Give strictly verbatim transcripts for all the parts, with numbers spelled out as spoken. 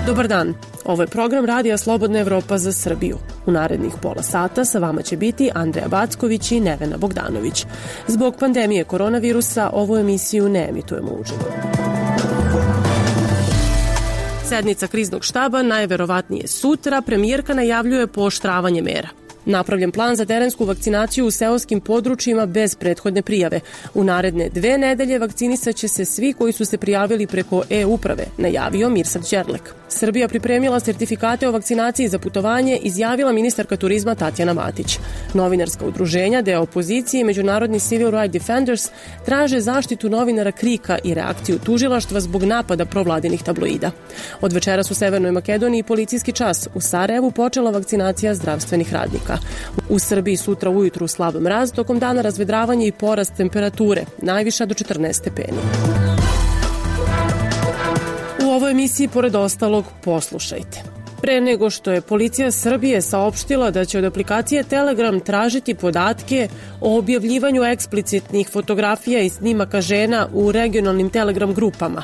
Dobar dan, ovo je program Radija Slobodna Evropa za Srbiju. U narednih pola sata sa vama će biti Andreja Backović i Nevena Bogdanović. Zbog pandemije koronavirusa ovu emisiju ne emitujemo uživo. Sednica kriznog štaba najverovatnije sutra, premijerka najavljuje pooštravanje mera. Napravljen plan za terensku vakcinaciju u seoskim područjima bez prethodne prijave. U naredne dve nedelje vakcinisat će se svi koji su se prijavili preko e-uprave, najavio Mirsad Đerlek. Srbija pripremila sertifikate o vakcinaciji za putovanje, izjavila ministarka turizma Tatjana Matić. Novinarska udruženja, deo opozicije i Međunarodni Civil Rights Defenders traže zaštitu novinara Krika i reakciju tužilaštva zbog napada provladinih tabloida. Od večeras u Severnoj Makedoniji policijski čas. U Sarajevu počela vakcinacija zdravstvenih radnika. U Srbiji sutra ujutru slab mraz, tokom dana razvedravanje i porast temperature, najviša do četrnaest stepeni. U ovoj emisiji, pored ostalog, poslušajte. Pre nego što je policija Srbije saopštila da će od aplikacije Telegram tražiti podatke o objavljivanju eksplicitnih fotografija i snimaka žena u regionalnim Telegram grupama,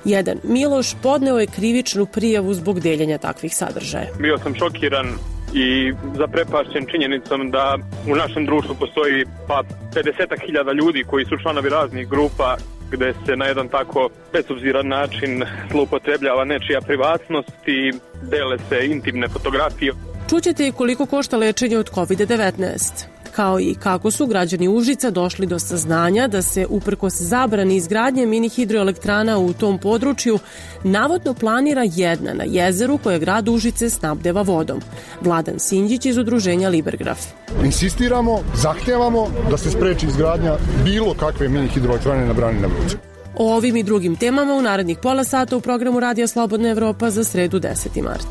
jedan Miloš podneo je krivičnu prijavu zbog deljenja takvih sadržaja. Bio sam šokiran i zaprepašćen činjenicom da u našem društvu postoji pa pedeset hiljada ljudi koji su članovi raznih grupa gde se na jedan tako bezobziran način zloupotrebljava nečija privatnost i dele se intimne fotografije. Čućete i koliko košta lečenje od kovid devetnaest, kao i kako su građani Užica došli do saznanja da se uprkos zabrani izgradnje mini hidroelektrana u tom području navodno planira jedna na jezeru koje grad Užice snabdeva vodom. Vladan Sinđić iz udruženja Libergraf. Insistiramo, zahtevamo da se spreči izgradnja bilo kakve mini hidroelektrane na brani na Vruću. O ovim i drugim temama u narednih pola sata u programu Radija Slobodna Evropa za sredu deseti mart.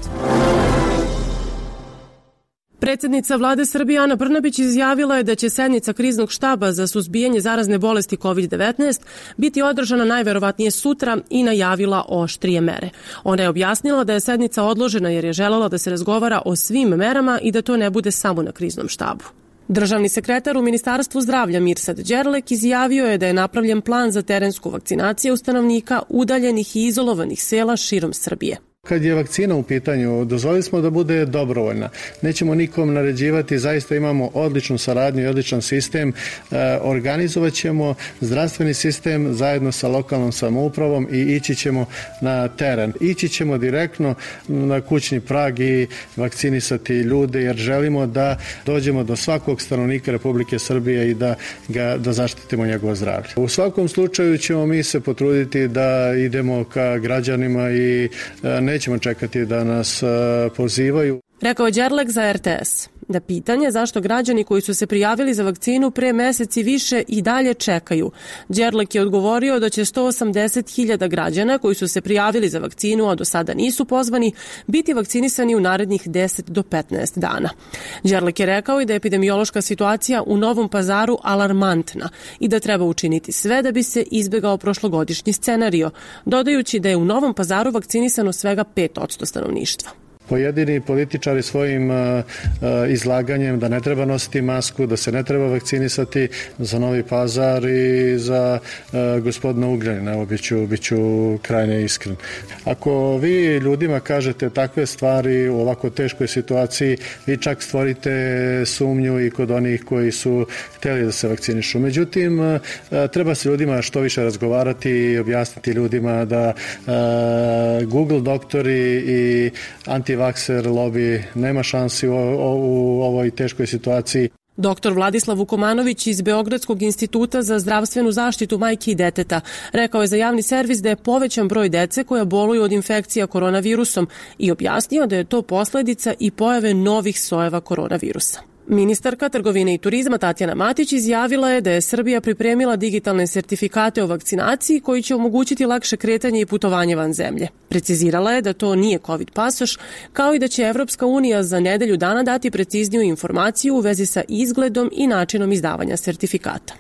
Predsjednica vlade Srbije Ana Brnabić izjavila je da će sednica kriznog štaba za suzbijanje zarazne bolesti kovid devetnaest biti održana najverovatnije sutra i najavila oštrije mere. Ona je objasnila da je sednica odložena jer je želela da se razgovara o svim merama i da to ne bude samo na kriznom štabu. Državni sekretar u Ministarstvu zdravlja Mirsad Đerlek izjavio je da je napravljen plan za terensku vakcinaciju stanovnika udaljenih i izolovanih sela širom Srbije. Kad je vakcina u pitanju, dozvolili smo da bude dobrovoljna. Nećemo nikom naređivati, zaista imamo odličnu saradnju i odličan sistem. E, organizovat ćemo zdravstveni sistem zajedno sa lokalnom samoupravom i ići ćemo na teren. Ići ćemo direktno na kućni prag i vakcinisati ljude jer želimo da dođemo do svakog stanovnika Republike Srbije i da, ga, da zaštitimo njegovo zdravlje. U svakom slučaju ćemo mi se potruditi da idemo ka građanima i e, nećemo čekati da nas pozivaju. Rekao je Đerlek za er te es. Da pitanje zašto građani koji su se prijavili za vakcinu pre meseci više i dalje čekaju. Đerlek je odgovorio da će sto osamdeset hiljada građana koji su se prijavili za vakcinu, a do sada nisu pozvani, biti vakcinisani u narednih deset do petnaest dana. Đerlek je rekao i da je epidemiološka situacija u Novom Pazaru alarmantna i da treba učiniti sve da bi se izbegao prošlogodišnji scenario, dodajući da je u Novom Pazaru vakcinisano svega pet posto stanovništva. Pojedini političari svojim uh, uh, izlaganjem da ne treba nositi masku, da se ne treba vakcinisati za Novi Pazar i za uh, gospodina Ugljanina, evo biću, biću krajne iskren. Ako vi ljudima kažete takve stvari u ovako teškoj situaciji, vi čak stvorite sumnju i kod onih koji su hteli da se vakcinišu. Međutim, uh, treba se ljudima što više razgovarati i objasniti ljudima da uh, Google doktori i anti vakser lobby nema šansi u, u ovoj teškoj situaciji. Doktor Vladislav Vukomanović iz Beogradskog instituta za zdravstvenu zaštitu majke i deteta rekao je za javni servis da je povećan broj dece koja boluju od infekcija koronavirusom i objasnio da je to posledica i pojave novih sojeva koronavirusa. Ministarka trgovine i turizma Tatjana Matić izjavila je da je Srbija pripremila digitalne sertifikate o vakcinaciji koji će omogućiti lakše kretanje i putovanje van zemlje. Precizirala je da to nije COVID pasoš, kao i da će Evropska unija za nedelju dana dati precizniju informaciju u vezi sa izgledom i načinom izdavanja sertifikata.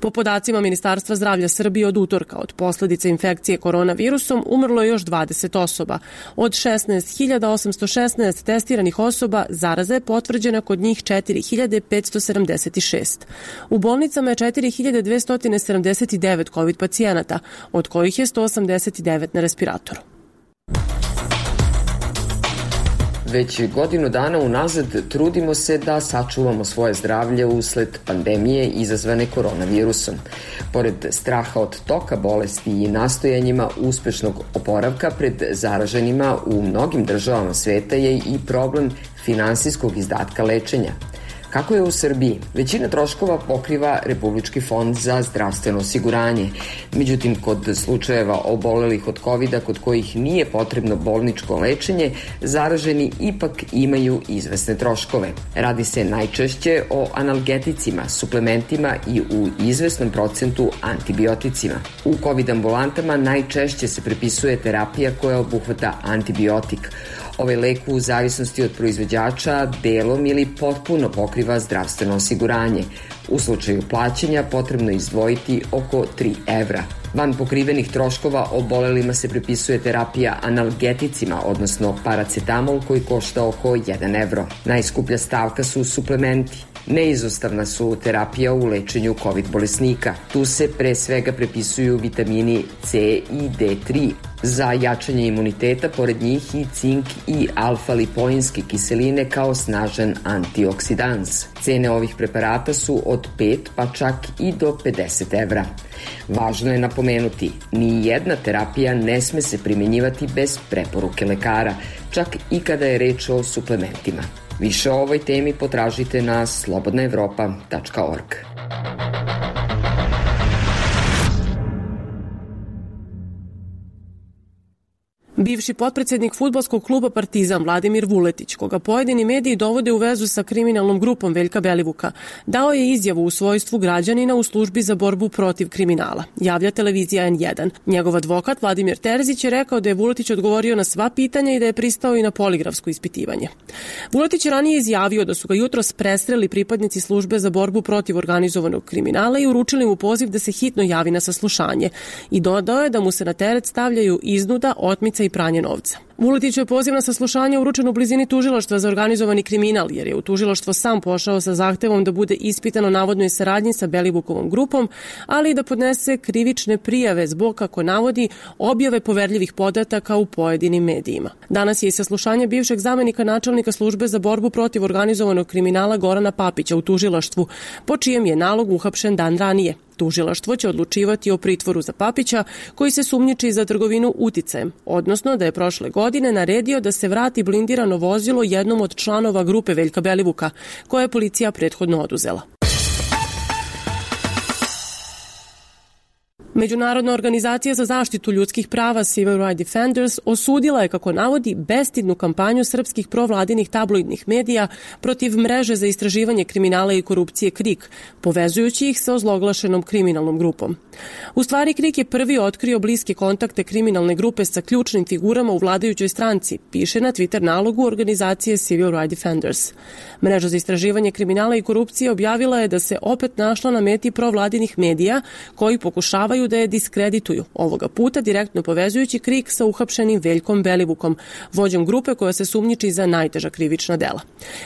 Po podacima Ministarstva zdravlja Srbije od utorka od posljedice infekcije koronavirusom umrlo je još dvadeset osoba. Od šesnaest hiljada osamsto šesnaest testiranih osoba zaraza je potvrđena kod njih četiri hiljade petsto sedamdeset šest. U bolnicama je četiri hiljade dvesta sedamdeset devet COVID pacijenata, od kojih je sto osamdeset devet na respiratoru. Već godinu dana unazad trudimo se da sačuvamo svoje zdravlje usled pandemije izazvane koronavirusom. Pored straha od toka bolesti i nastojanjima uspešnog oporavka pred zaraženima u mnogim državama sveta je i problem finansijskog izdatka lečenja. Kako je u Srbiji? Većina troškova pokriva Republički fond za zdravstveno osiguranje. Međutim, kod slučajeva obolelih od kovida kod kojih nije potrebno bolničko lečenje, zaraženi ipak imaju izvesne troškove. Radi se najčešće o analgeticima, suplementima i u izvesnom procentu antibioticima. U COVID ambulantama najčešće se prepisuje terapija koja obuhvata antibiotik. Ovaj lek u zavisnosti od proizvođača delom ili potpuno pokriva zdravstveno osiguranje. U slučaju plaćanja potrebno izdvojiti oko tri evra. Van pokrivenih troškova obolelima se prepisuje terapija analgeticima, odnosno paracetamol koji košta oko jedan evro. Najskuplja stavka su suplementi. Neizostavna su terapija u lečenju COVID bolesnika. Tu se pre svega prepisuju vitamini C i D tri. Za jačanje imuniteta, pored njih i cink i alfa-lipoinske kiseline kao snažan antioksidans. Cene ovih preparata su od pet pa čak i do pedeset evra. Važno je napomenuti, ni jedna terapija ne sme se primjenjivati bez preporuke lekara, čak i kada je reč o suplementima. Više o ovoj temi potražite na slobodna evropa tačka org. Bivši potpredsednik fudbalskog kluba Partizan Vladimir Vuletić, koga pojedini mediji dovode u vezu sa kriminalnom grupom Veljka Belivuka, dao je izjavu u svojstvu građanina u službi za borbu protiv kriminala, javlja televizija en jedan. Njegov advokat Vladimir Terzić je rekao da je Vuletić odgovorio na sva pitanja i da je pristao i na poligrafsko ispitivanje. Vuletić je ranije izjavio da su ga jutros prestreli pripadnici službe za borbu protiv organizovanog kriminala i uručili mu poziv da se hitno javi na saslušanje i dodao je da mu se na teret stavljaju iznuda, otmica i pranje novca. Vuletiću je poziv na saslušanje uručen u blizini tužilaštva za organizovani kriminal, jer je u tužilaštvo sam pošao sa zahtevom da bude ispitan o navodnoj saradnji sa Belivukovom grupom, ali i da podnese krivične prijave zbog, kako navodi, objave poverljivih podataka u pojedinim medijima. Danas je i saslušanje bivšeg zamenika načelnika službe za borbu protiv organizovanog kriminala Gorana Papića u tužilaštvu, po čijem je nalog uhapšen dan ranije. Tužilaštvo će odlučivati o pritvoru za Papića, koji se sumnjiči za trgovinu uticajem, odnosno da je prošle godine naredio da se vrati blindirano vozilo jednom od članova grupe Veljka Belivuka, koje je policija prethodno oduzela. Međunarodna organizacija za zaštitu ljudskih prava Civil Rights Defenders osudila je, kako navodi, bestidnu kampanju srpskih provladinih tabloidnih medija protiv mreže za istraživanje kriminala i korupcije KRIK, povezujući ih sa ozloglašenom kriminalnom grupom. U stvari, KRIK je prvi otkrio bliske kontakte kriminalne grupe sa ključnim figurama u vladajućoj stranci, piše na Twitter nalogu organizacije Civil Rights Defenders. Mreža za istraživanje kriminala i korupcije objavila je da se opet našla na meti provladinih medija koji pokušavaju da je diskredituju, ovoga puta direktno povezujući KRIK sa uhapšenim Veljkom Belivukom, vođom grupe koja se sumnjiči za najteža krivična dela.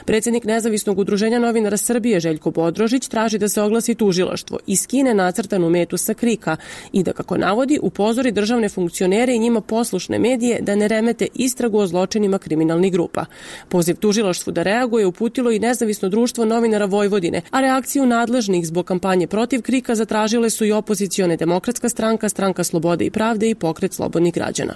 Predsjednik Nezavisnog udruženja novinara Srbije Željko Bodrožić traži da se oglasi tužilaštvo i skine nacrtanu metu sa KRIK-a i da, kako navodi, upozori državne funkcionere i njima poslušne medije da ne remete istragu o zločinima kriminalnih grupa. Poziv tužilaštvu da reaguje uputilo i Nezavisno društvo novinara Vojvodine, a reakciju nadležnih zbog kampanje protiv KRIK-a zatražile su i opozicione demokratske stranka, Stranka slobode i pravde i Pokret slobodnih građana.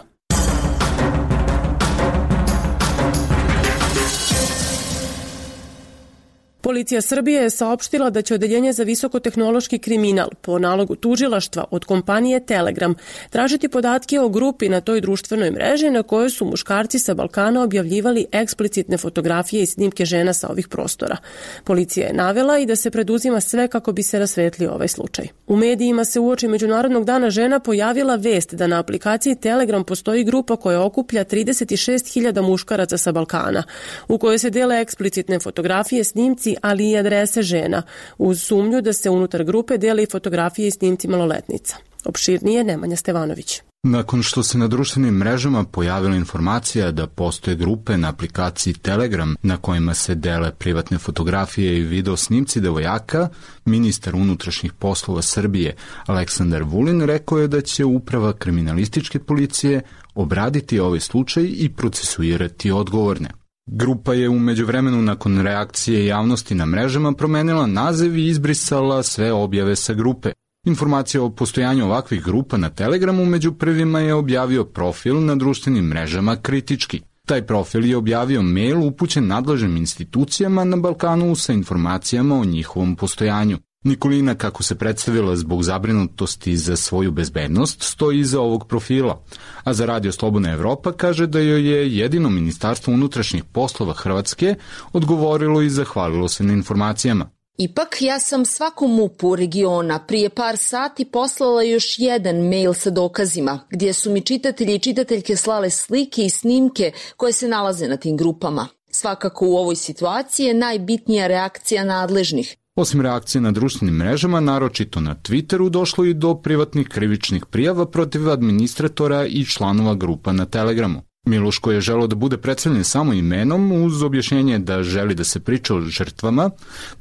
Policija Srbije je saopštila da će Odeljenje za visokotehnološki kriminal po nalogu tužilaštva od kompanije Telegram tražiti podatke o grupi na toj društvenoj mreži na kojoj su muškarci sa Balkana objavljivali eksplicitne fotografije i snimke žena sa ovih prostora. Policija je navela i da se preduzima sve kako bi se rasvetlio ovaj slučaj. U medijima se uoči Međunarodnog dana žena pojavila vest da na aplikaciji Telegram postoji grupa koja okuplja trideset šest hiljada muškaraca sa Balkana, u kojoj se dele eksplicitne fotografije, snimci, ali i adrese žena, uz sumnju da se unutar grupe dele i fotografije i snimci maloletnica. Opširnije Nemanja Stevanović. Nakon što se na društvenim mrežama pojavila informacija da postoje grupe na aplikaciji Telegram na kojima se dele privatne fotografije i video snimci devojaka, ministar unutrašnjih poslova Srbije Aleksandar Vulin rekao je da će uprava kriminalističke policije obraditi ovaj slučaj i procesuirati odgovorne. Grupa je u međuvremenu nakon reakcije javnosti na mrežama promenila naziv i izbrisala sve objave sa grupe. Informacija o postojanju ovakvih grupa na Telegramu među prvima je objavio profil na društvenim mrežama Kritički. Taj profil je objavio mail upućen nadležnim institucijama na Balkanu sa informacijama o njihovom postojanju. Nikolina, kako se predstavila zbog zabrinutosti za svoju bezbednost, stoji iza ovog profila, a za Radio Slobodna Evropa kaže da joj je jedino Ministarstvo unutrašnjih poslova Hrvatske odgovorilo i zahvalilo se na informacijama. Ipak, ja sam svakom M U P-u regiona prije par sati poslala još jedan mail sa dokazima, gdje su mi čitatelji i čitateljke slale slike i snimke koje se nalaze na tim grupama. Svakako u ovoj situaciji je najbitnija reakcija nadležnih. Osim reakcije na društvenim mrežama, naročito na Twitteru, došlo i do privatnih krivičnih prijava protiv administratora i članova grupa na Telegramu. Miloš, koji je želeo da bude predstavljen samo imenom, uz objašnjenje da želi da se priča o žrtvama,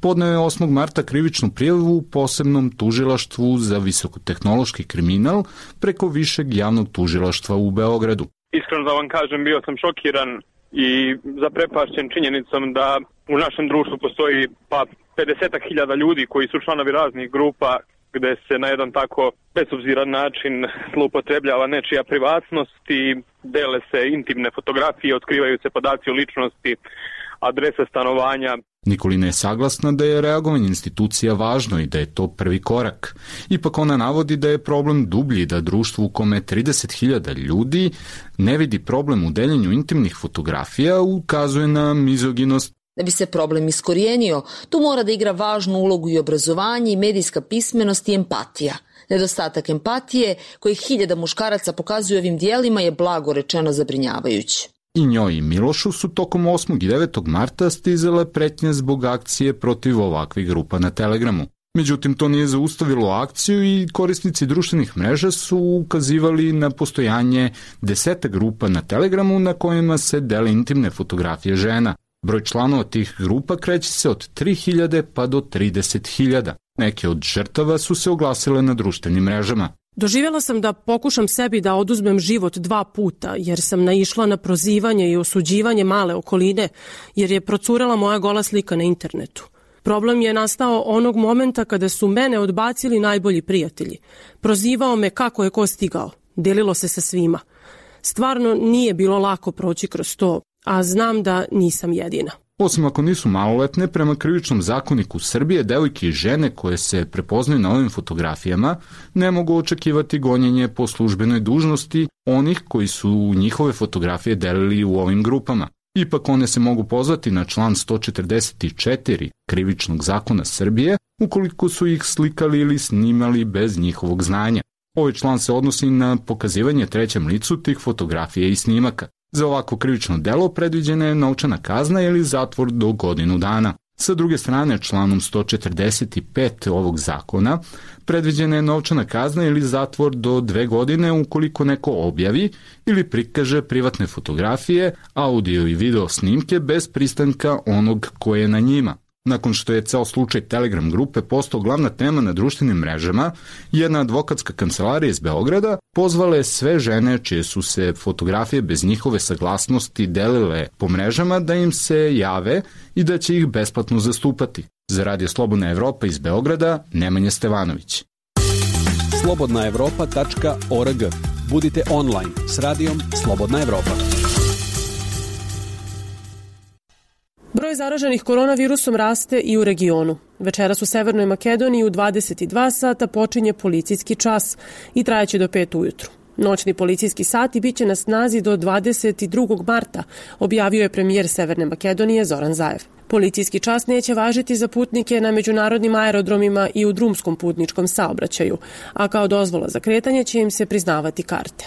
podneo je osmog marta krivičnu prijavu u posebnom tužilaštvu za visokotehnološki kriminal preko Višeg javnog tužilaštva u Beogradu. Iskreno da vam kažem, bio sam šokiran i zaprepašćen činjenicom da u našem društvu postoji pa pedesetak hiljada ljudi koji su članovi raznih grupa gde se na jedan tako bezobziran način zloupotrebljava nečija privatnost i dele se intimne fotografije, otkrivaju se podaci o ličnosti, adrese stanovanja. Nikolina je saglasna da je reagovanje institucija važno i da je to prvi korak. Ipak ona navodi da je problem dublji, da društvo u kome trideset hiljada ljudi ne vidi problem u deljenju intimnih fotografija, ukazuje na mizoginost. Da bi se problem iskorijenio, tu mora da igra važnu ulogu i obrazovanje i medijska pismenost i empatija. Nedostatak empatije, koji hiljada muškaraca pokazuju ovim dijelima, je blago rečeno zabrinjavajući. I njoj i Milošu su tokom osmog i devetog marta stizale pretnje zbog akcije protiv ovakvih grupa na Telegramu. Međutim, to nije zaustavilo akciju i korisnici društvenih mreža su ukazivali na postojanje deseta grupa na Telegramu na kojima se dele intimne fotografije žena. Broj članova tih grupa kreće se od tri hiljade pa do trideset hiljada. Neke od žrtava su se oglasile na društvenim mrežama. Doživjela sam da pokušam sebi da oduzmem život dva puta, jer sam naišla na prozivanje i osuđivanje male okoline, jer je procurela moja gola slika na internetu. Problem je nastao onog momenta kada su mene odbacili najbolji prijatelji. Prozivao me kako je ko stigao. Delilo se sa svima. Stvarno nije bilo lako proći kroz to, a znam da nisam jedina. Osim ako nisu maloletne, prema krivičnom zakoniku Srbije, devojke i žene koje se prepoznaju na ovim fotografijama ne mogu očekivati gonjenje po službenoj dužnosti onih koji su njihove fotografije delili u ovim grupama. Ipak one se mogu pozvati na član sto četrdeset četiri krivičnog zakona Srbije ukoliko su ih slikali ili snimali bez njihovog znanja. Ovaj član se odnosi na pokazivanje trećem licu tih fotografija i snimaka. Za ovako krivično delo predviđena je novčana kazna ili zatvor do godinu dana. Sa druge strane, članom sto četrdeset pet ovog zakona predviđena je novčana kazna ili zatvor do dve godine ukoliko neko objavi ili prikaže privatne fotografije, audio i video snimke bez pristanka onog koje je na njima. Nakon što je ceo slučaj Telegram grupe postao glavna tema na društvenim mrežama, jedna advokatska kancelarija iz Beograda pozvala je sve žene čije su se fotografije bez njihove saglasnosti delile po mrežama da im se jave i da će ih besplatno zastupati. Za Radio Slobodna Evropa iz Beograda, Nemanja Stevanović. slobodna evropa tačka org. Budite online s radijom Slobodna Evropa. Broj zaraženih koronavirusom raste i u regionu. Večeras u Severnoj Makedoniji u dvadeset dva sata počinje policijski čas i trajaće do pet ujutru. Noćni policijski sati biće na snazi do dvadeset drugog marta, objavio je premijer Severne Makedonije Zoran Zaev. Policijski čas neće važiti za putnike na međunarodnim aerodromima i u drumskom putničkom saobraćaju, a kao dozvola za kretanje će im se priznavati karte.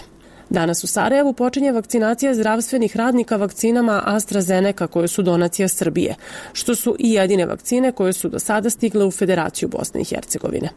Danas u Sarajevu počinje vakcinacija zdravstvenih radnika vakcinama AstraZeneca koje su donacija Srbije, što su i jedine vakcine koje su do sada stigle u Federaciju Bosne i Hercegovine.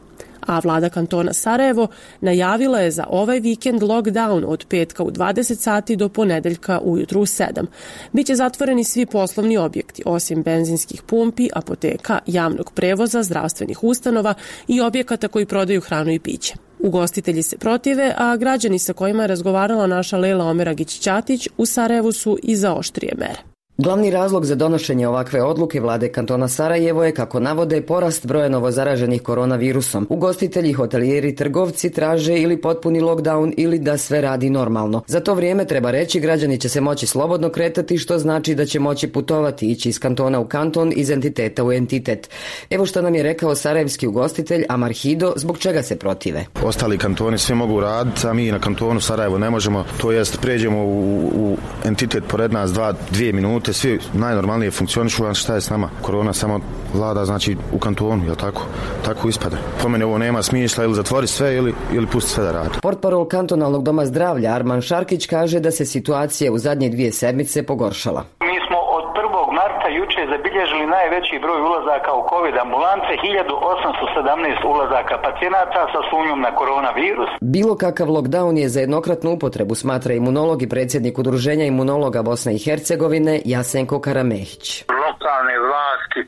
A vlada kantona Sarajevo najavila je za ovaj vikend lockdown od petka u dvadeset sati do ponedeljka ujutru u sedam. Biće zatvoreni svi poslovni objekti, osim benzinskih pumpi, apoteka, javnog prevoza, zdravstvenih ustanova i objekata koji prodaju hranu i piće. Ugostitelji se protive, a građani sa kojima je razgovarala naša Lejla Omeragić-Ćatić u Sarajevu su i za oštrije mere. Glavni razlog za donošenje ovakve odluke vlade kantona Sarajevo je, kako navode, porast broja novozaraženih koronavirusom. Ugostitelji, hotelijeri i trgovci traže ili potpuni lockdown ili da sve radi normalno. Za to vrijeme, treba reći, građani će se moći slobodno kretati, što znači da će moći putovati, ići iz kantona u kanton, iz entiteta u entitet. Evo što nam je rekao sarajevski ugostitelj Amar Hido, zbog čega se protive. Ostali kantoni sve mogu raditi, a mi na kantonu Sarajevo ne možemo, to jest pređemo u, u entitet pored nas dva, dvije minute, svi najnormalnije funkcionišu, a šta je s nama? Korona samo vlada, znači, u kantonu, jel tako? Tako ispada. Po mene ovo nema smisla, ili zatvori sve ili, ili pusti sve da radi. Portparol kantonalnog doma zdravlja Arman Šarkić kaže da se situacija u zadnje dvije sedmice pogoršala. Mi smo od prvog marta juče zabilježili najveći broj ulazaka u COVID ambulance, hiljadu osamsto sedamnaest ulazaka pacijenata sa sumnjom na koronavirus. Bilo kakav lockdown je za jednokratnu upotrebu, smatra imunolog i predsjednik Udruženja imunologa Bosne i Hercegovine Jasenko Karamehić. Lokalne vlasti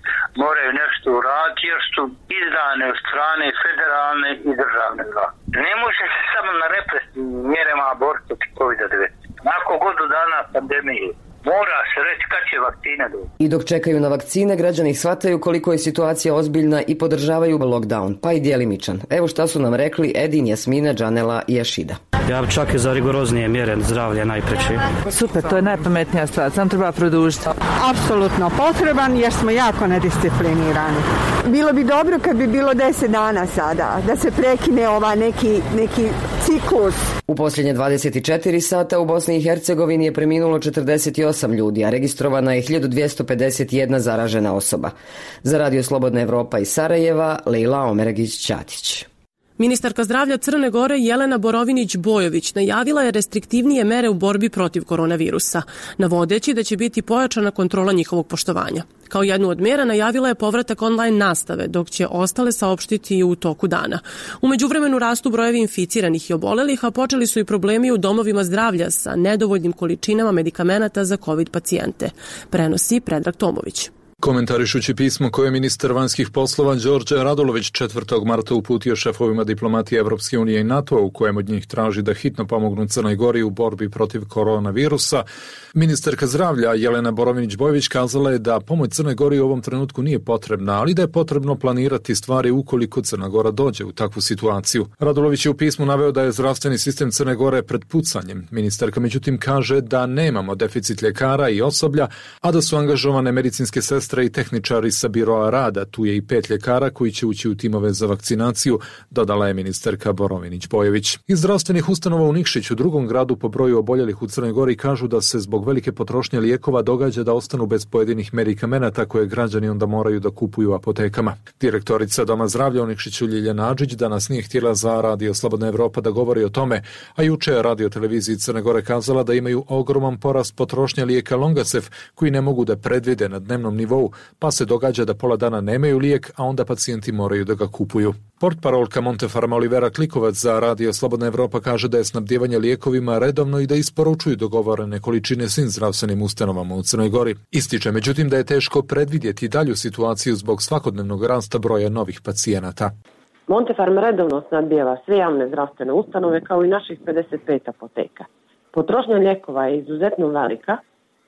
moraju nešto uraditi jer su izdane od strane federalne i državne vlasti. Ne može se samo na represivnim mjerama boriti protiv kovida devetnaest. Nakon godinu dana pandemije mora se reći kad će vakcine doći. I dok čekaju na vakcine, građani shvataju koliko je situacija ozbiljna i podržavaju lockdown, pa i djelimičan. Evo šta su nam rekli Edin, Jasmina, Džanela i Jašida. Ja bi čak i za rigoroznije mjere zdravlje najpreći. Super, to je najpametnija stvar, sam treba produžiti. Apsolutno potreban jer smo jako nedisciplinirani. Bilo bi dobro kad bi bilo deset dana sada, da se prekine ova neki, neki ciklus. U posljednje dvadeset četiri sata u Bosni i Hercegovini je preminulo četrdeset osam ljudi, a registrovana je hiljadu dvjesto pedeset jedna zaražena osoba. Za Radio Slobodna Evropa iz Sarajeva, Lejla Omeragić-Ćatić. Ministarka zdravlja Crne Gore Jelena Borovinić-Bojović najavila je restriktivnije mere u borbi protiv koronavirusa, navodeći da će biti pojačana kontrola njihovog poštovanja. Kao jednu od mjera najavila je povratak online nastave, dok će ostale saopštiti u toku dana. U međuvremenu rastu brojevi inficiranih i obolelih, a počeli su i problemi u domovima zdravlja sa nedovoljnim količinama medikamenata za COVID pacijente, prenosi Predrag Tomović. Komentarišući pismo koje je ministar vanjskih poslova Đorđe Radulović četvrtog marta uputio šefovima diplomatije Evropske unije i NATO-a, u kojem od njih traži da hitno pomognu Crnoj Gori u borbi protiv koronavirusa, ministarka zdravlja Jelena Borovinić-Bojović kazala je da pomoć Crnoj Gori u ovom trenutku nije potrebna, ali da je potrebno planirati stvari ukoliko Crna Gora dođe u takvu situaciju. Radulović je u pismu naveo da je zdravstveni sistem Crne Gore pred pucanjem. Ministarka međutim kaže da nemamo deficit ljekara i osoblja, a da su angažovane medicinske sestre i tehničari sa biroa rada. Tu je i pet ljekara koji će ući u timove za vakcinaciju, dodala je ministarka Borovinić-Bojović. Iz zdravstvenih ustanova u Nikšiću, drugom gradu po broju oboljelih u Crnoj Gori, kažu da se zbog velike potrošnje lijekova događa da ostanu bez pojedinih medikamenata koje građani onda moraju da kupuju u apotekama. Direktorica Doma zdravlja u Nikšiću Ljiljana Adžić danas nije htjela za Radio Slobodna Evropa da govori o tome, a juče je Radio televiziji Crne Gore kazala da imaju ogroman porast potrošnje lijeka Longasef koji ne mogu da predvide na dnevnom nivou, pa se događa da pola dana nemaju lijek, a onda pacijenti moraju da ga kupuju. Portparolka Montefarma Olivera Klikovac za Radio Slobodna Evropa kaže da je snabdijevanje lijekovima redovno i da isporučuju dogovorene količine svim zdravstvenim ustanovama u Crnoj Gori. Ističe međutim da je teško predvidjeti dalju situaciju zbog svakodnevnog rasta broja novih pacijenata. Montefarm redovno snabdijeva sve javne zdravstvene ustanove kao i naših pedeset pet apoteka. Potrošnja lijekova je izuzetno velika,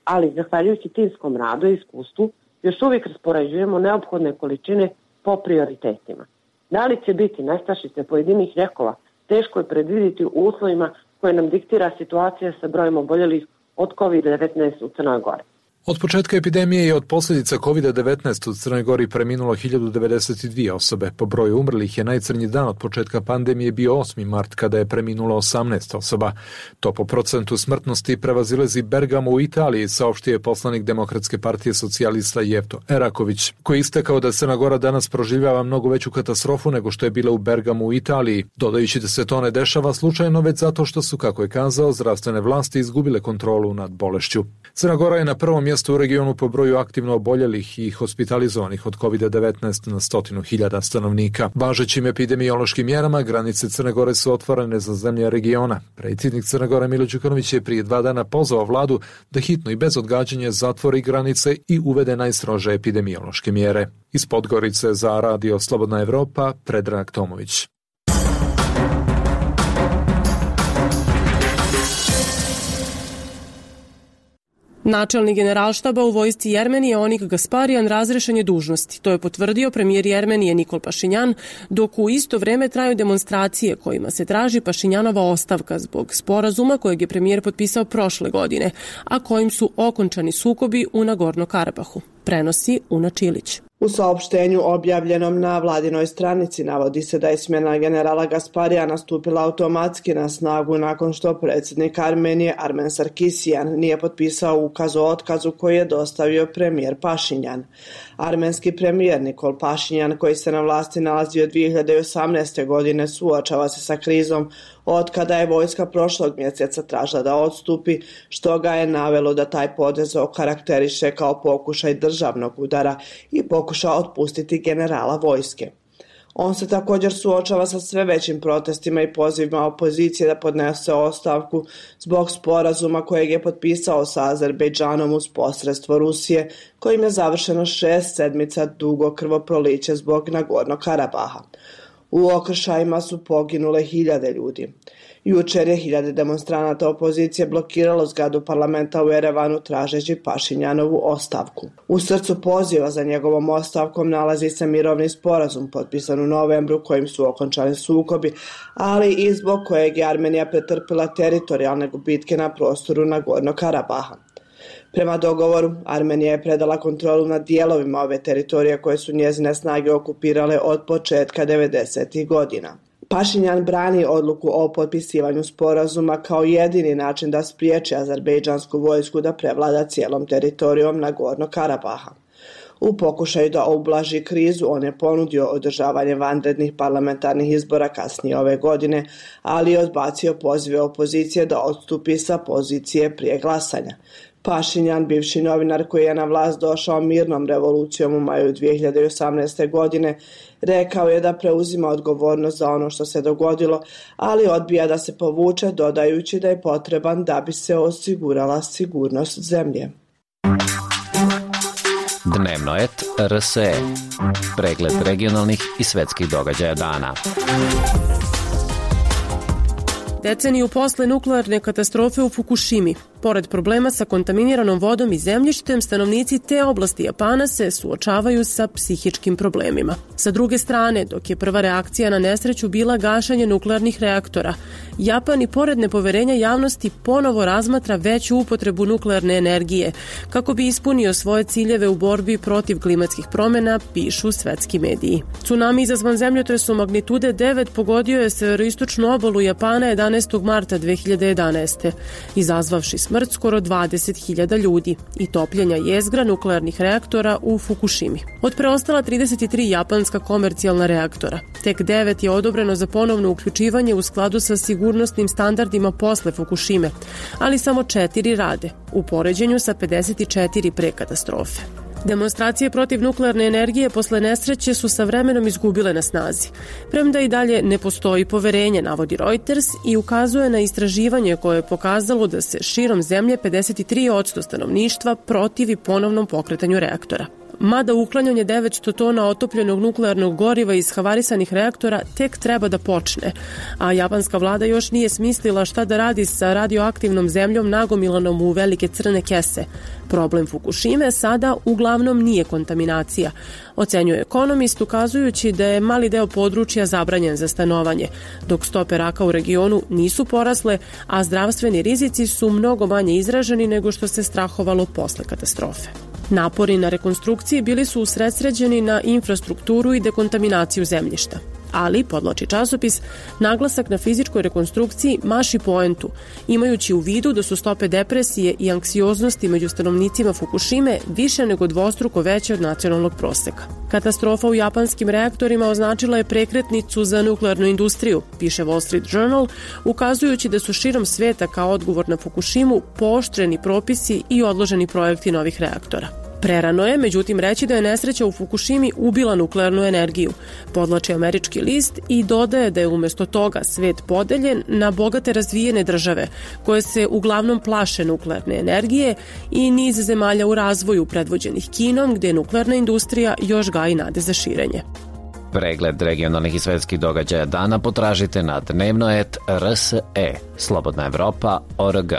ali zahvaljujući timskom radu i iskustvu još uvijek raspoređujemo neophodne količine po prioritetima. Da li će biti nestašice pojedinih lijekova, teško je predvidjeti u uslovima koje nam diktira situacija sa brojem oboljelih od COVID devetnaest u Crnoj Gori. Od početka epidemije i od posljedica kovid devetnaest u Crnoj Gori preminulo hiljadu devedeset dvije osobe. Po broju umrlih je najcrnji dan od početka pandemije bio osmi mart, kada je preminulo osamnaest osoba. To po procentu smrtnosti prevazilazi Bergamo u Italiji, saopštio je poslanik Demokratske partije socijalista Jevto Eraković, koji je istakao da Crna Gora danas proživljava mnogo veću katastrofu nego što je bila u Bergamu u Italiji, dodajući da se to ne dešava slučajno, već zato što su, kako je kazao, zdravstvene vlasti izgubile kontrolu nad bolešću. Crna Gora je na prvom mjestu u regionu po broju aktivno oboljelih i hospitalizovanih od kovid devetnaest na stotinu hiljada stanovnika. Važećim epidemiološkim mjerama granice Crne Gore su otvorene za zemlje regiona. Predsjednik Crne Gore Milo Đukanović je prije dva dana pozvao vladu da hitno i bez odgađanja zatvori granice i uvede najstrože epidemiološke mjere. Iz Podgorice za Radio Slobodna Evropa, Predrag Tomović. Načelnik generalštaba u vojsci Jermenije Onik Gasparian razrešen je dužnosti. To je potvrdio premijer Jermenije Nikol Pašinjan, dok u isto vrijeme traju demonstracije kojima se traži Pašinjanova ostavka zbog sporazuma kojeg je premijer potpisao prošle godine, a kojim su okončani sukobi u Nagorno-Karabahu. Prenosi Una Čilić. U saopštenju objavljenom na vladinoj stranici navodi se da je smjena generala Gasparijana stupila automatski na snagu nakon što predsjednik Armenije Armen Sarkisijan nije potpisao ukaz o otkazu koji je dostavio premijer Pašinjan. Armenski premijer Nikol Pašinjan, koji se na vlasti nalazi od dvije hiljade osamnaeste. godine, suočava se sa krizom od kada je vojska prošlog mjeseca tražila da odstupi, što ga je navelo da taj potez okarakteriše kao pokušaj državnog udara i pokuša otpustiti generala vojske. On se također suočava sa sve većim protestima i pozivima opozicije da podnese ostavku zbog sporazuma kojeg je potpisao sa Azerbejdžanom uz posredstvo Rusije, kojim je završeno šest sedmica dugo krvoproliće zbog Nagorno-Karabaha. U okršajima su poginule hiljade ljudi. Jučer je hiljade demonstranata opozicije blokiralo zgradu parlamenta u Erevanu tražeći Pašinjanovu ostavku. U srcu poziva za njegovom ostavkom nalazi se mirovni sporazum potpisan u novembru kojim su okončani sukobi, ali i zbog kojeg je Armenija pretrpila teritorijalne gubitke na prostoru Nagorno-Karabaha. Prema dogovoru, Armenija je predala kontrolu nad dijelovima ove teritorije koje su njezine snage okupirale od početka devedesetih godina. Pašinjan brani odluku o potpisivanju sporazuma kao jedini način da spriječi azerbejdžansku vojsku da prevlada cijelom teritorijom Nagorno-Karabaha. U pokušaju da ublaži krizu, on je ponudio održavanje vanrednih parlamentarnih izbora kasnije ove godine, ali je odbacio pozive opozicije da odstupi sa pozicije prije glasanja. Pašinjan, bivši novinar koji je na vlast došao mirnom revolucijom u maju dvije hiljade osamnaeste. godine, rekao je da preuzima odgovornost za ono što se dogodilo, ali odbija da se povuče, dodajući da je potreban da bi se osigurala sigurnost zemlje. Dnevnoet R S E. Pregled regionalnih i svetskih događaja dana. Deceniju posle nuklearne katastrofe u Fukushimi, pored problema sa kontaminiranom vodom i zemljištem, stanovnici te oblasti Japana se suočavaju sa psihičkim problemima. Sa druge strane, dok je prva reakcija na nesreću bila gašanje nuklearnih reaktora, Japan i pored nepoverenja javnosti ponovo razmatra veću upotrebu nuklearne energije kako bi ispunio svoje ciljeve u borbi protiv klimatskih promjena, pišu svetski mediji. Tsunami izazvan zemljotresom magnitude devet pogodio je severoistočnu obalu Japana jedanaestog marta dve hiljade jedanaeste. izazvavši smrt skoro dvadeset hiljada ljudi i topljenja jezgra nuklearnih reaktora u Fukushimi. Od preostala trideset tri japanska komercijalna reaktora, tek devet je odobreno za ponovno uključivanje u skladu sa sigurnosnim standardima posle Fukushime, ali samo četiri rade, u poređenju sa pedeset četiri pre katastrofe. Demonstracije protiv nuklearne energije posle nesreće su sa vremenom izgubile na snazi. Premda i dalje ne postoji poverenje, navodi Reuters i ukazuje na istraživanje koje je pokazalo da se širom zemlje pedeset tri posto stanovništva protivi ponovnom pokretanju reaktora. mada uklanjanje devetsto tona otopljenog nuklearnog goriva iz havarisanih reaktora tek treba da počne, a japanska vlada još nije smislila šta da radi sa radioaktivnom zemljom nagomilanom u velike crne kese. Problem Fukushime sada uglavnom nije kontaminacija, ocenjuje ekonomist, ukazujući da je mali deo područja zabranjen za stanovanje, dok stope raka u regionu nisu porasle, a zdravstveni rizici su mnogo manje izraženi nego što se strahovalo posle katastrofe. Napori na rekonstrukciji bili su usredsređeni na infrastrukturu i dekontaminaciju zemljišta. Ali, podvlači časopis, naglasak na fizičkoj rekonstrukciji maši poentu, imajući u vidu da su stope depresije i anksioznosti među stanovnicima Fukushime više nego dvostruko veće od nacionalnog proseka. Katastrofa u japanskim reaktorima označila je prekretnicu za nuklearnu industriju, piše Wall Street Journal, ukazujući da su širom sveta kao odgovor na Fukushimu pooštreni propisi i odloženi projekti novih reaktora. Prerano je, međutim, reći da je nesreća u Fukushimi ubila nuklearnu energiju, podvlači američki list i dodaje da je umjesto toga svet podeljen na bogate razvijene države, koje se uglavnom plaše nuklearne energije, i niz zemalja u razvoju predvođenih Kinom, gde je nuklearna industrija još gaji nade za širenje. Pregled regionalnih i svetskih događaja dana potražite na dnevnoet R S E, Slobodna Evropa, O R G.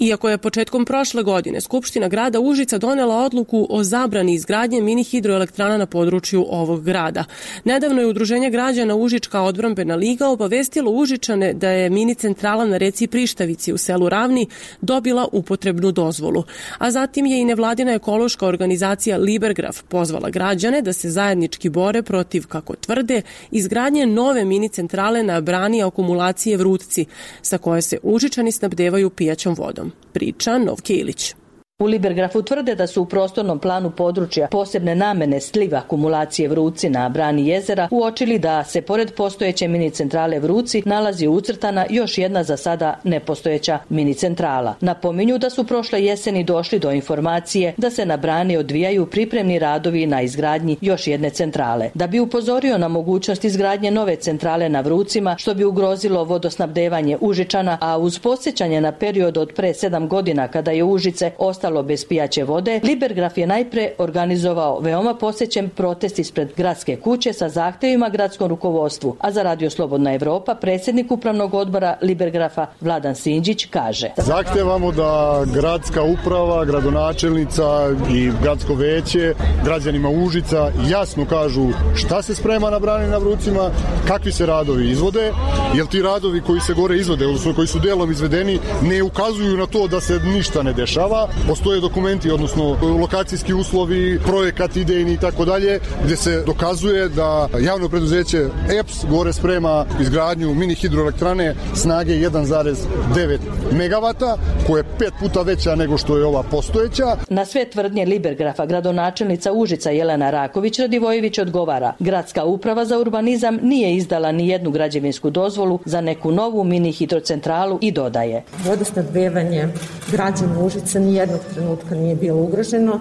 Iako je početkom prošle godine Skupština grada Užica donela odluku o zabrani izgradnje mini hidroelektrana na području ovog grada. Nedavno je Udruženje građana Užička odbrambena liga obavestilo Užičane da je mini centrala na reci Prištavici u selu Ravni dobila upotrebnu dozvolu. A zatim je i nevladina ekološka organizacija Libergraf pozvala građane da se zajednički bore protiv, kako tvrde, izgradnje nove mini centrale na brani akumulacije Vrutci, sa koje se Užičani snabdevaju pijaćom vodom. Priča Novke Ilić. U Libergrafu tvrde da su u prostornom planu područja posebne namene sliva akumulacije Vrúci na brani jezera uočili da se pored postojeće mini centrale Vrúci nalazi ucrtana još jedna za sada nepostojeća mini centrala. Napominju da su prošle jeseni došli do informacije da se na brani odvijaju pripremni radovi na izgradnji još jedne centrale. Da bi upozorio na mogućnost izgradnje nove centrale na Vrúcima, što bi ugrozilo vodosnabdevanje Užičana, a uz podsjećanje na period od pre sedam godina kada je Užice ostalo bez pijaće vode, Libergraf je najpre organizovao veoma posjećen protest ispred gradske kuće sa zahtevima gradskom rukovodstvu, a za Radio Slobodna Evropa predsjednik upravnog odbora Libergrafa Vladan Sinđić kaže: Zahtevamo da gradska uprava, gradonačelnica i gradsko veće građanima Užica jasno kažu šta se sprema na brani na Vrúcima, kakvi se radovi izvode, jer ti radovi koji se gore izvode, odnosno koji su delom izvedeni, ne ukazuju na to da se ništa ne dešava. Postoje dokumenti, odnosno lokacijski uslovi, projekat idejni i tako dalje, gdje se dokazuje da javno preduzeće E P S gore sprema izgradnju mini hidroelektrane snage jedan zarez devet megavata, koja je pet puta veća nego što je ova postojeća. Na sve tvrdnje Libergrafa gradonačelnica Užica Jelena Raković Radivojević odgovara: gradska uprava za urbanizam nije izdala ni jednu građevinsku dozvolu za neku novu mini hidrocentralu i dodaje: vodosnabdevanje građana Užica nijednog trenutka nije bilo ugroženo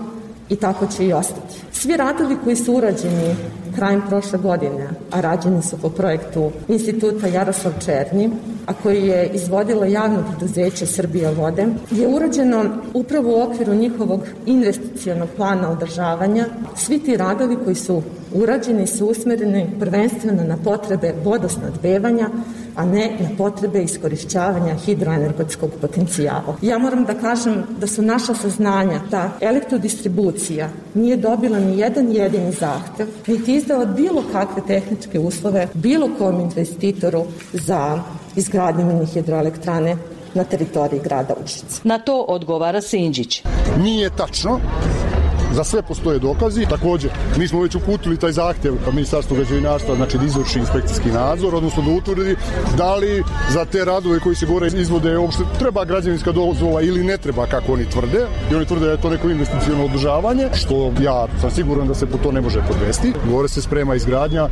i tako će i ostati. Svi radovi koji su urađeni krajem prošle godine, a rađeni su po projektu Instituta Jaroslav Černi, a koji je izvodilo javno preduzeće Srbija vode, je urađeno upravo u okviru njihovog investicionog plana održavanja. Svi ti radovi koji su urađeni su usmereni prvenstveno na potrebe vodosnabdevanja, a ne na potrebe iskorišćavanja hidroenergetskog potencijala. Ja moram da kažem da su naša saznanja da elektrodistribucija nije dobila ni jedan jedini zahtev, niti izdala bilo kakve tehničke uslove bilo kom investitoru za izgradnju mini hidroelektrane na teritoriji grada Užica. Na to odgovara Sinđić: nije tačno. Za sve postoje dokazi. Također, mi smo već uputili taj zahtjev Ministarstvu građevinarstva, znači da izvrši inspekcijski nadzor, odnosno da utvrdi da li za te radove koji se gore izvode uopšte treba građevinska dozvola ili ne treba, kako oni tvrde. I oni tvrde da je to neko investiciono održavanje, što ja sam siguran da se po to ne može podvesti. Gore se sprema izgradnja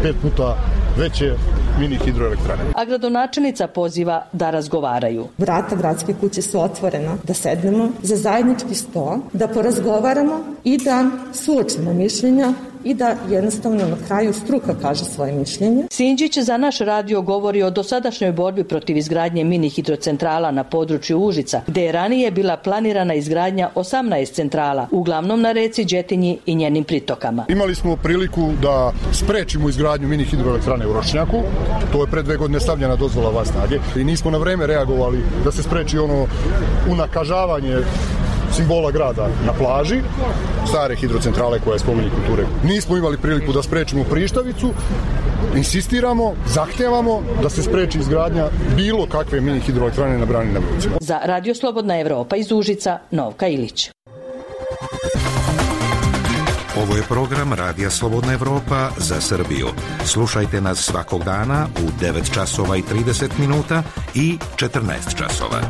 pet puta veće mini hidroelektrane. A gradonačelnica poziva da razgovaraju. Vrata gradske kuće su otvorena, da sednemo za zajednički sto, da porazgovaramo i da suočimo mišljenja i da jednostavno na kraju struka kaže svoje mišljenje. Sinđić za naš radio govori o dosadašnjoj borbi protiv izgradnje mini hidrocentrala na području Užica, gde je ranije bila planirana izgradnja osamnaest centrala, uglavnom na reci Đetinji i njenim pritokama. Imali smo priliku da sprečimo izgradnju mini hidroelektrane u Ročnjaku, to je pre dve godine stavljena dozvola van snage i nismo na vreme reagovali da se spreči ono unakažavanje simbola grada na plaži, stare hidrocentrale koja je spomenik kulture. Nismo imali priliku da sprečimo Prištavicu, insistiramo, zahtevamo da se spreči izgradnja bilo kakve mini hidroelektrane na brani na Vrucima. Za Radio Slobodna Evropa iz Užica, Novka Ilić. Ovo je program Radija Slobodna Evropa za Srbiju. Slušajte nas svakog dana u devet časova i trideset minuta i četrnaest časova.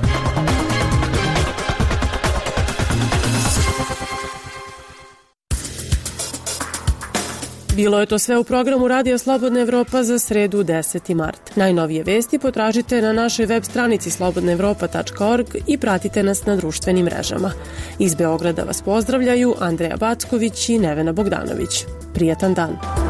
Bilo je to sve u programu Radio Slobodna Evropa za sredu deseti mart. Najnovije vesti potražite na našoj web stranici slobodna evropa tačka org i pratite nas na društvenim mrežama. Iz Beograda vas pozdravljaju Andreja Backović i Nevena Bogdanović. Prijatan dan!